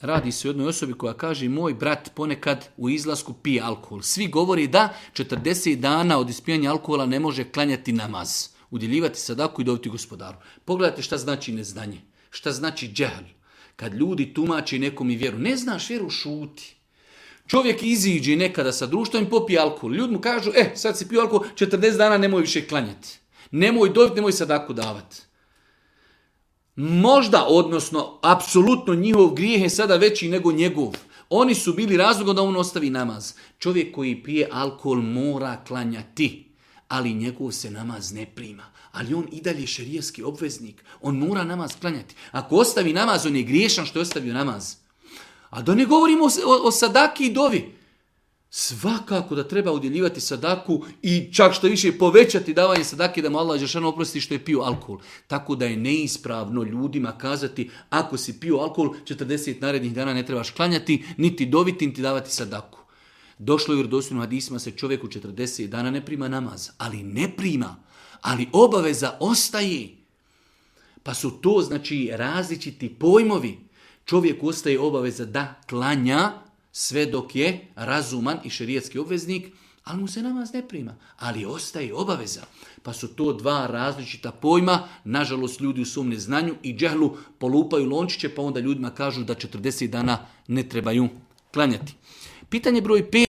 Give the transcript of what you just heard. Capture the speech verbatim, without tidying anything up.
Radi se o jednoj osobi koja kaže moj brat ponekad u izlasku pije alkohol. Svi govori da četrdeset dana od ispijanja alkohola ne može klanjati namaz, udjeljivati sadaku i dobiti gospodaru. Pogledajte šta znači neznanje, šta znači džehl. Kad ljudi tumači nekom i vjeru, ne znaš vjeru, šuti. Čovjek iziđe nekada sa društvom i popije alkohol. Ljudi mu kažu, e, sad si pio alkohol, četrdeset dana nemoj više klanjati. Nemoj dobiti, nemoj sadaku davati. Možda, odnosno, apsolutno njihov grijeh je sada veći nego njegov. Oni su bili razlogom da on ostavi namaz. Čovjek koji pije alkohol mora klanjati, ali njegov se namaz ne prima. Ali on i dalje šerijski obveznik. On mora namaz klanjati. Ako ostavi namaz, on je griješan što je ostavio namaz. A da ne govorimo o, o, o sadaki i dovi. Svakako da treba udjeljivati sadaku i čak što više povećati davanje sadake da mu Allah dželešanu oprosti što je pio alkohol. Tako da je neispravno ljudima kazati ako si pio alkohol četrdeset narednih dana ne trebaš klanjati, niti doviti, niti davati sadaku. Došlo je u vjerodostojnim hadisima se čovjeku četrdeset dana ne prima namaz, ali ne prima, ali obaveza ostaje. Pa su to znači različiti pojmovi. Čovjeku ostaje obaveza da klanja sve dok je razuman i šerijatski obveznik, ali mu se namaz ne prima. Ali ostaje obaveza. Pa su to dva različita pojma. Nažalost, ljudi u svom neznanju i džehlu polupaju lončiće, pa onda ljudima kažu da četrdeset dana ne trebaju klanjati. Pitanje broj pet.